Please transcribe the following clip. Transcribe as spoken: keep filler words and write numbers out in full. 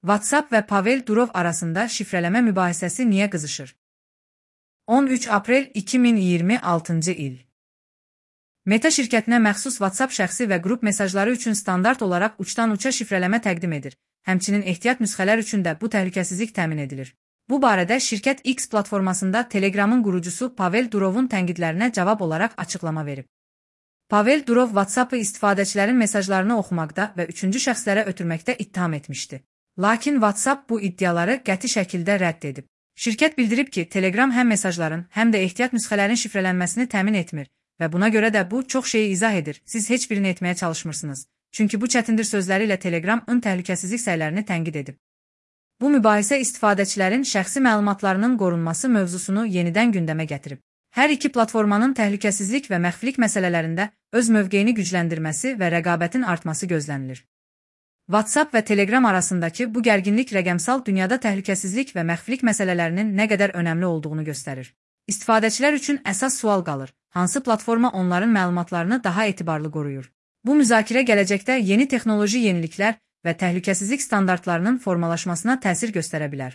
WhatsApp və Pavel Durov arasında şifrələmə mübahisəsi niyə qızışır? on üç aprel iki min iyirmi altıncı il. Meta şirkətinə məxsus WhatsApp şəxsi və qrup mesajları üçün standart olaraq uçdan-uça şifrələmə təqdim edir. Həmçinin ehtiyat nüsxələr üçün də bu təhlükəsizlik təmin edilir. Bu barədə şirkət X platformasında Telegramın qurucusu Pavel Durovun tənqidlərinə cavab olaraq açıqlama verib. Pavel Durov WhatsApp-ı istifadəçilərin mesajlarını oxumaqda və üçüncü şəxslərə ötürməkdə ittiham etmişdi. Lakin WhatsApp bu iddiaları qəti şəkildə rədd edib. Şirkət bildirib ki, Telegram həm mesajların, həm də ehtiyat nüsxələrin şifrələnməsini təmin etmir və buna görə də bu çox şeyi izah edir. Siz heç birini etməyə çalışmırsınız. Çünki bu çətindir sözləri ilə Telegram-ın təhlükəsizlik səylərini tənqid edib. Bu mübahisə istifadəçilərin şəxsi məlumatlarının qorunması mövzusunu yenidən gündəmə gətirib. Hər iki platformanın təhlükəsizlik və məxfilik məsələlərində öz mövqeyini gücləndirməsi və rəqabətin artması gözlənilir. WhatsApp və Telegram arasındakı bu gərginlik rəqəmsal dünyada təhlükəsizlik və məxfilik məsələlərinin nə qədər önəmli olduğunu göstərir. İstifadəçilər üçün əsas sual qalır: hansı platforma onların məlumatlarını daha etibarlı qoruyur? Bu müzakirə gələcəkdə yeni texnoloji yeniliklər və təhlükəsizlik standartlarının formalaşmasına təsir göstərə bilər.